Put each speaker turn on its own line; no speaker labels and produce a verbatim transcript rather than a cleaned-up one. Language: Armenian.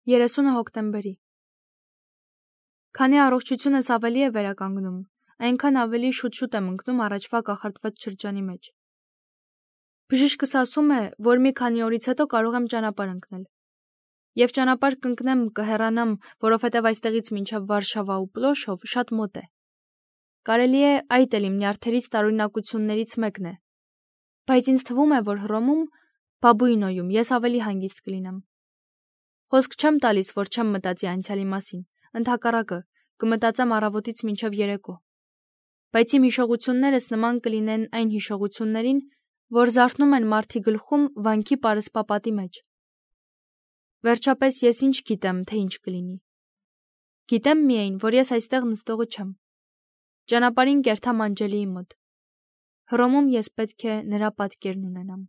երեսունը հոկտեմբերի։ Քանի առողջությունս ավելի է վերականգնում, այնքան ավելի շուտ-շուտ եմ ընկնում առաջվա կախարդված շրջանի մեջ։ Բժիշկս ասում է, որ մի քանի օրից հետո կարող եմ ճանապարհ ընկնել։ Եվ ճանապարհ կընկնեմ, կհեռանամ, որովհետև այստեղից մինչև Վարշավա ու Պլոշով շատ մոտ է։ Կարելի է այդ էլ իմ նյարդերից տարօրինակություններից մեկն է։ Բայց ինձ թվում է, որ Հռոմում, Բաբուինոյում ես ավելի հանգիստ կլինեմ։ Խոսք չեմ տալիս, որ չեմ մտածի անցյալի մասին, ընդհակառակը, կմտածեմ առավոտից մինչև երեկո։ Բայց իմ հիշողություններս նման կլինեն այն հիշողություններին, որ զարթնում են մարդի գլխում վանքի պարսպապատի մեջ։ Վերջապես ես ինչ գիտեմ, թե ինչ կլինի։ Գիտեմ միայն, որ ես այստեղ նստողը չեմ։ Ճանապարհին կերթամ Անջելիի մոտ։ Հռոմում ես պետք է նրա պատկերն ունենամ։